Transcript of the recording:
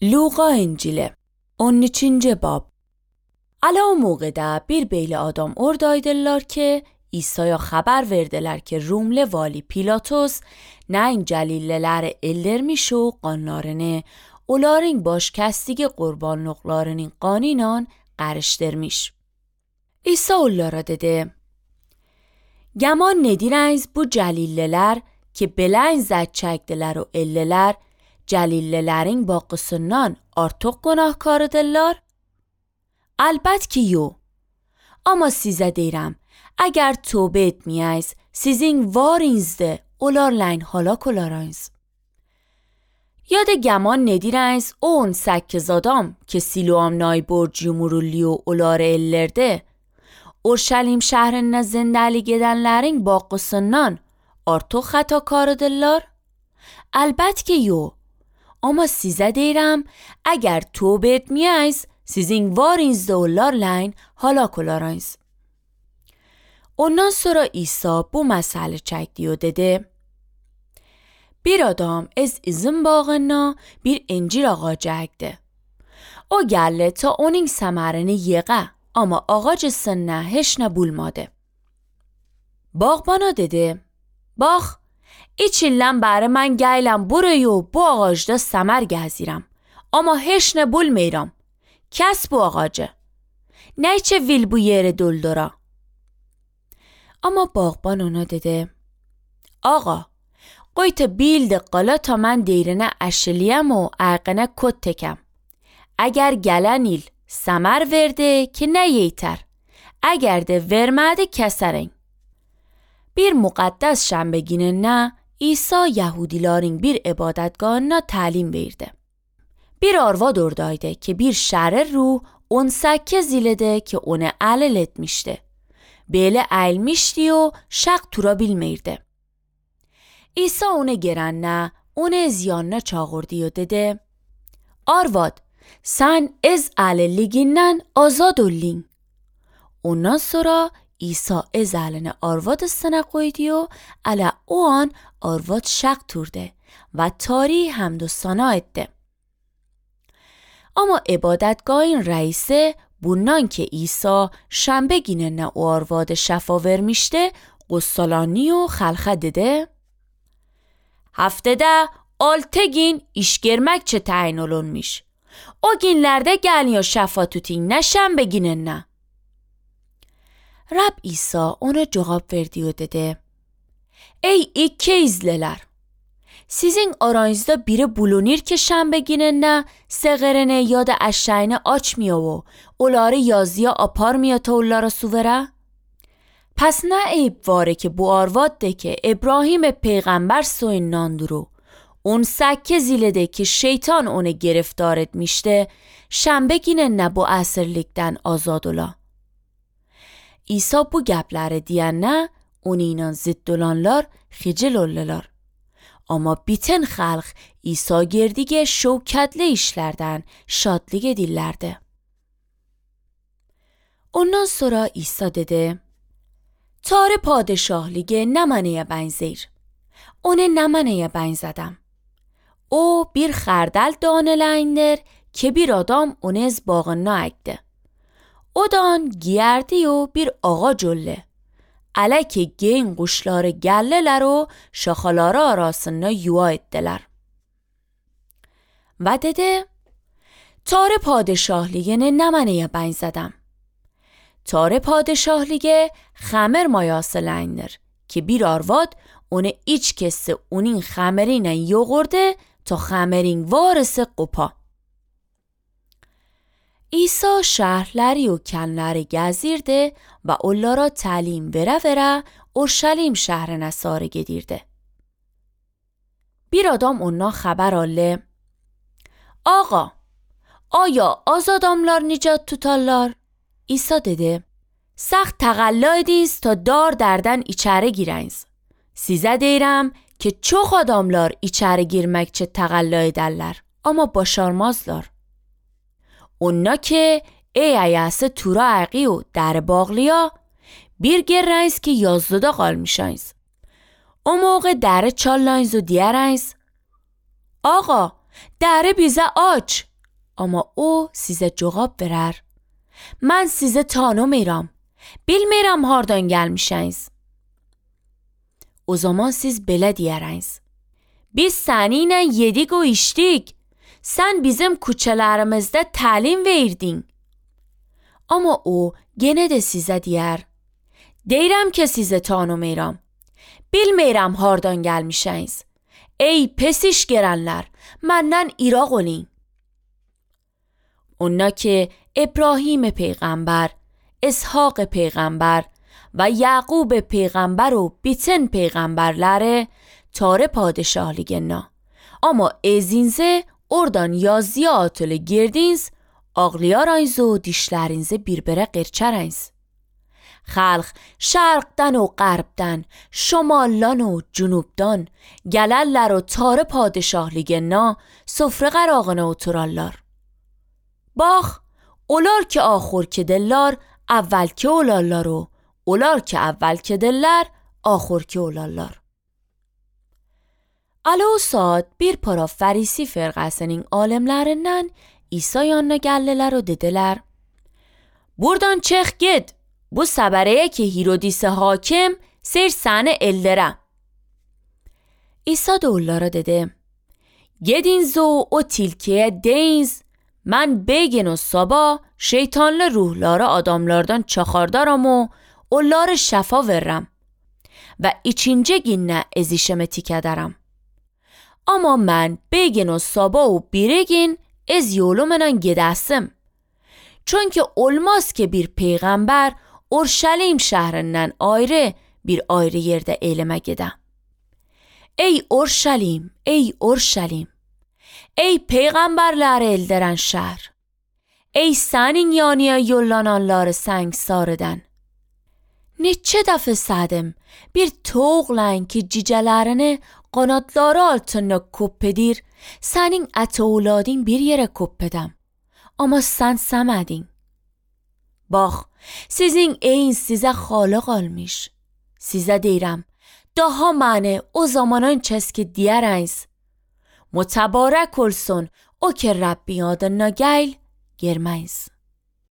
Luqa İncili 13. bab. Ala o moğada bir beyli adam oradaydılar ki İsa'ya haber verdiler ki Rumlu vali Pilatus neyin celilleler ellermiş o qanlarını onların baş kestiği qurbanlıqlarının qanıyla qarışdırmış. İsa onlara dedi: Gəman nedirəniz bu cəlillələr ki belən zət çəkdilər o ellələr cəlillələrin baxısından artıq günahkarıdırlar? Əlbət ki yox. Amma sizə deyirəm, əgər tövbə etməyəyiz, sizin varınızdır, onlarla halak olarınız. Ya da gəman nedirəniz o 18 adam ki Siloam nayborc yumurulli o onları ellərdi, Urşalim şəhərində zindəlik edənlərin baxısından artıq xətakarıdırlar? Əlbət ki yox. Amma sizə deyirəm, əgər tövbə etməyəyiz, sizin varınızda onlarla halak olarınız. Ondan sonra İsa bu məsələ çəkdi o dedi: Bir adam az üzüm bağına bir incir ağacı əkdi. O gəldi ta onun səmərini yeğə, amma ağacısına heç nə bulmadı. Bağbana dedi: Bax, İç ildən bəri mən gələm buraya bu ağacda səmər gəzirəm. Amma heç nə bulmayıram. Kəs bu ağacı. Nə üçün vil bu yeri doldura? Amma bağban ona dedi: Ağa, qoy ta bildi qala ta mən deyrinə əşiliyəm o əyqinə kod tekəm. Əgər gələn il səmər verdi ki nə yeytər. Əgər də vermədi kəsərin. Bir müqəddəs şənbə gününə İsa Yahudilerin bir ibadetgahına talim verdi. Bir arvad oradaydı ki bir şərir ruh 18 ildə ki onu əlil etmişdi. Belə əlmişdi o şaq tura bilmirdi. İsa onu görəndə onu ziyanına çağırdı o dedi: Arvad, sən az əlilligindən azad oldun. Ondan sonra İsa az əlini arvadısına qoydu و ələ o an arvad şaq turdu و tari hamd و ثنا etti. Ama ibadetgahın reisi bundan ki İsa şənbə gününə o arvadı şəfa vermişdi, qussalani و xalqa dedi: Haftədə 6 gün iş görmək çə təyin olunmuş. O günlərdə gəlin şəfa tutin, nə şənbə gününə. Rab İsa ona cevap verdi و dedi: Ey ikiyizliler! Sizin aranızda biri bulunur ki şənbə günündə sığırını ya da eşeğini açmıyor و onları yazıya aparmıyor ta onlara su vere? Pes ne eyb vare ki bu arvadde ki İbrahim peygamber soyundan duru 18 ildə ki şeytan onu گرفتار etmişti, şənbə günündə bu əsirlikdən azad ola. İsa bu gəpləri deyəndə onunla zidd olanlar xicil oldular. Amma bütün xalq İsa girdiği şövkətli işlərdən şadlıq edirlərdi. Ondan sonra İsa dedi: Tarı padişahlığı nə mənəyə bənzəyir? Onu nə mənəyə bənzədəm? O bir xərdəl danələyindir ki bir adam onu az bağına əkdi. Odan giyerdi و bir ağac oldu. Ələ ki gen quşları gəllələr و şaxaları arasında yuva etdilər. Və dedi: Tarı padişahlığını nə mənəyə bənzədəm? Tarı padişahlığı xəmir mayasıləndir ki bir arvad onu iç kesi onun xəmirinə yoğurdu ta xəmirin varısı qopa. İsa şəhərləri و kənləri gəzirdi və onlara təlim verə-verə Urşalim şəhərinə sarı gedirdi. Bir adam ondan xəbər aldı: Ağa, aya az adamlar nicat tutarlar? İsa dedi: Səxt təqəllə ediniz ta dar dərdən içəri girəniz. Sizə deyirəm ki çox adamlar içəri girmək üçün təqəllə edərlər, amma başarmazlar. Oنا که ای ایسه تورا عقی و در باغلیا bir گرنیز که 11 qalmışsınız. O موقع در چالنیز و دیرنیز. Ağa, Dere bize aç. Ama o size cevap verer. Ben size tanımıyorum. Bilmirəm hardan gəlmişsiniz. O zaman siz belə deyərsiniz. Biz səninlə yedik o içdik. Sən bizim küçələrimizdə təlim verdin. Amma o genə də sizə deyər. Deyirəm ki sizi tanımıram. Bilmirəm hardan gəlmişsiniz. Ey pes iş görənlər, məndən İraq olun. اونا که ابراهیم پیغمبر، اسحاق پیغمبر و یعقوب پیغمبر و بیتن پیغمberlere tare padişahligena. Ama ezinze oradan yazıya atılı girdiniz, ağlayarayız و dişlerinizi birbirine qırçarayız. Xalq şərqdən و qərbdən, şamaldan و cünubdan gələllər و tare padişahligena sofra qərağına oturarlar. Bax, onlar ki axır kedirlər, əvvəl ki olarlar o, onlar ki əvvəl kedirlər, axır ki olarlar. Əli o saat bir para Fərisi firqəsinin alimlərindən İsa yanına gəldilər o dedilər. Buradan çıx git, bu səbərəyə ki Hirodis hakim ser səni ellərə. İsa da onlara dedi. Gediniz o tilkiyə deyiniz, mən begin o sabah şeytanlı ruhları adamlardan çaxardaram o onları şəfa verirəm və ikinci günə ezişəmə tikədərəm. Amma mən begin o sabah o biri gün ez yolumla gedəsim. Çünki olmaz ki bir peyğəmbər Urşəlim şəhrindən ayrı bir ayrı yerdə elmə gedə. Ey Urşəlim, ey Urşəlim! Ey peyğəmbərləri eldirən şəhər! Ey sənin yanıya yollananları səngsar edən! Neçə dəfə sədim bir toğlan ki cicələrini qanadları altında koppedir, sənin ət oğladın bir yerə koppedəm. Amma sən səmədin. Bax, sizin eyin sizə xalıq almış. Sizə deyirəm, daha məni o zamanın çəski deyərəniz. متبارک olsun o که ربی adına gəl, girməyiz.